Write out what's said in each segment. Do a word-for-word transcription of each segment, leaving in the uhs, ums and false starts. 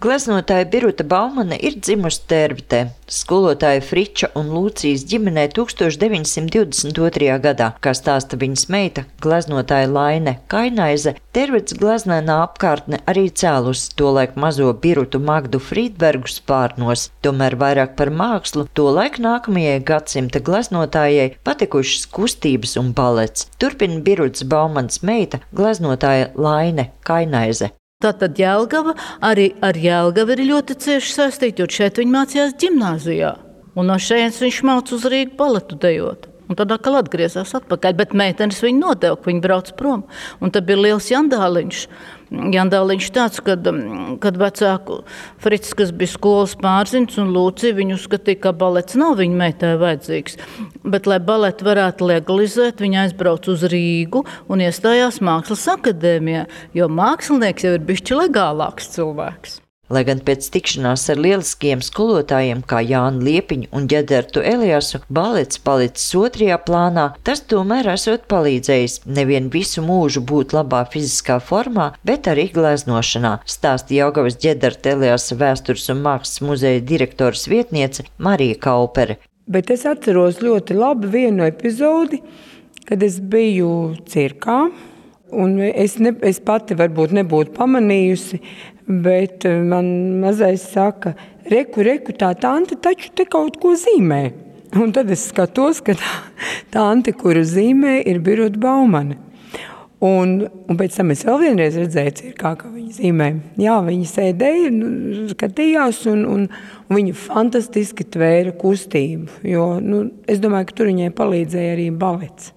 Gleznotāja Biruta Baumane ir dzimusi Tērvetē. Skolotāja Friča un Lūcijas ģimenē tūkstoš deviņsimt divdesmit otrajā gadā, kā stāsta viņas meita, gleznotāja Laine Kainaize, Tērvetes gleznainā apkārtne arī cēlusi tolaik mazo Birutu Magdu Frīdbergu spārnos. Tomēr vairāk par mākslu tolaik nākamajai gadsimta gleznotājai patikušas kustības un balets. Turpina Birutas Baumanes meita, gleznotāja Laine Kainaize. Tātad Jelgava arī ar Jelgavu ir ļoti cieši saistīta, jo šeit viņa mācījās ģimnāzijā. Un no šejienes viņš māca uz Rīgu baletu dejot. Un tad atkal atgriezās atpakaļ, bet meitenes viņu nodeva, ka viņi brauc prom. Un tad bija liels jandāliņš. Jandāliņš tāds, kad, kad vecāku Frits, kas bija skolas pārziņš, un Lūcija viņu uzskatīja, ka balets nav viņa meitai vajadzīgs. Bet, lai baletu varētu legalizēt, viņa aizbrauc uz Rīgu un iestājās Mākslas akadēmijā, jo mākslinieks jau ir bišķi legālāks cilvēks. Lai gan pēc tikšanās ar lieliskiem skolotājiem kā Jānu Liepiņu un Ģedertu Eliasu balets palicis otrajā plānā, tas tomēr esot palīdzējis nevien visu mūžu būt labā fiziskā formā, bet arī gleznošanā, stāsta Jelgavas Ģederta Eliasa vēstures un mākslas muzeja direktores vietniece Marija Kaupere. Bet es atceros ļoti labi vienu epizodi, kad es biju cirkā, un es, ne, es pati varbūt nebūtu pamanījusi, bet man mazais saka, reku, reku, tā tante taču te kaut ko zīmē. Un tad es skatos, ka tā tante, kuru zīmē, ir Biruta Baumane. Un, un pēc tam es vēl vienreiz redzēju cirkā, kā viņa zīmē. Jā, viņa sēdēja, skatījās, un, un, un viņa fantastiski tvēra kustību. Jo, nu, es domāju, ka tur viņai palīdzēja arī balets.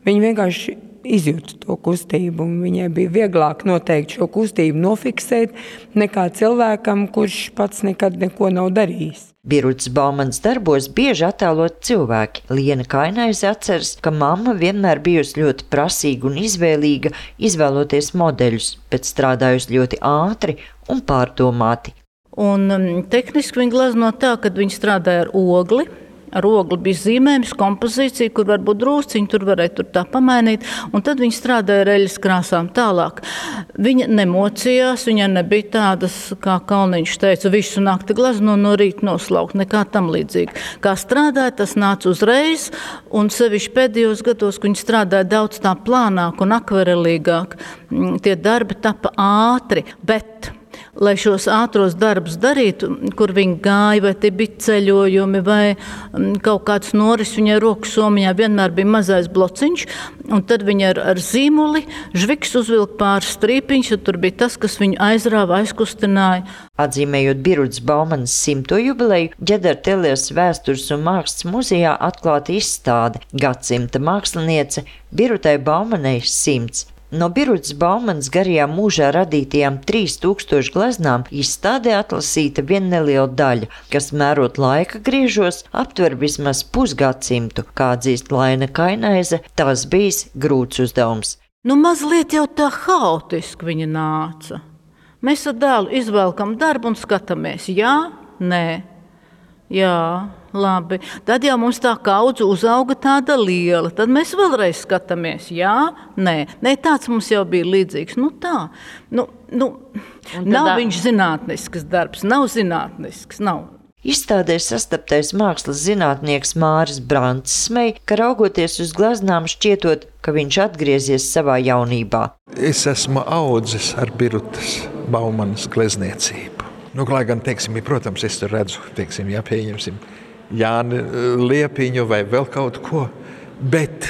Viņa vienkārši izjūta to kustību, un viņai bija vieglāk noteikti šo kustību nofiksēt nekā cilvēkam, kurš pats nekad neko nav darījis. Birutas Baumanes darbos bieži attēlot cilvēki. Liena Kainaize atceras, ka mamma vienmēr bijusi ļoti prasīga un izvēlīga, izvēloties modeļus, bet strādājusi ļoti ātri un pārdomāti. Un um, tehniski viņa glezno tā, kad viņa strādāja ar ogli. Ar ogli bija zīmējums, kompozīcija, kur varbūt drūsciņi, tur varēja tur tā pamainīt, un tad viņa strādāja ar eļas krāsām tālāk. Viņa nemocījās, viņa nebija tādas, kā Kalniņš teica, visu nakti glezno no rīta noslaukt, nekā tam līdzīgi. Kā strādāja, tas nāca uzreiz, un sevišķi pēdējos gados, kad viņa strādāja daudz tā plānāk un akvarelīgāk, tie darbi tapa ātri, bet lai šos ātros darbus darītu, kur viņi gāja, vai tie bija ceļojumi, vai kaut kāds noris, viņai rokas somiņā vienmēr bija mazais blociņš, un tad viņa ar, ar zīmuli žviks uzvilka pāris strīpiņš, un tur bija tas, kas viņu aizrāva, aizkustināja. Atzīmējot Birutas Baumanes simto jubileju, Ģederta Eliasa vēstures un mākslas muzejā atklāta izstāde Gadsimta māksliniece Birutai Baumanei simts. No Birutas Baumanes garajā mūžā radītajām trīs tūkstoši gleznām izstādē atlasīta viena neliela daļa, kas mērot laika griežos aptver vismaz pusgadsimtu, kā atzīst Laine Kainaize, tas bijis grūts uzdevums. Nu, mazliet jau tā haotiski viņa nāca. Mēs ar dēlu izvelkam darbu un skatāmies, jā, nē, jā. Labi, tad jau mums tā kaudze uzauga tāda liela, tad mēs vēlreiz skatāmies, jā, nē, nē, tāds mums jau bija līdzīgs, nu tā, nu, nu, nav viņš zinātnisks darbs, nav zinātnisks, nav. Izstādē sastaptais mākslas zinātnieks Māris Brants smej, ka raugoties uz gleznām šķietot, ka viņš atgriezies savā jaunībā. Es esmu audzis ar Birutas Baumanes glezniecību. Nu, lai gan, teiksim, protams, es tur redzu, teiksim, jā, pieņemsim, Jāni Liepiņu vai vēl kaut ko, bet,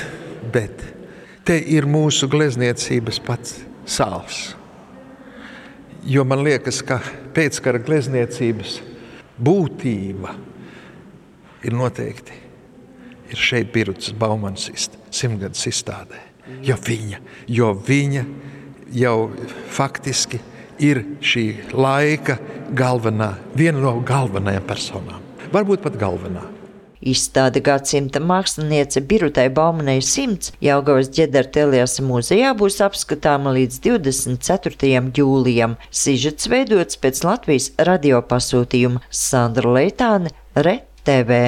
bet te ir mūsu glezniecības pats sāls. Jo man liekas, ka pēckara glezniecības būtība ir noteikti ir šeit Birutas Baumanes simtgadus izstādē. Jo viņa, jo viņa jau faktiski ir šī laika galvenā, viena no galvenajām personām. Varbūt pat galvenā. Izstāde Gadsimta māksliniece Birutai Baumanei simts Jelgavas Ģederta Eliasa muzejā būs apskatāma līdz divdesmit ceturtajam jūlijam. Sižets veidots pēc Latvijas radio pasūtījuma. Sandra Leitāne, R E T V.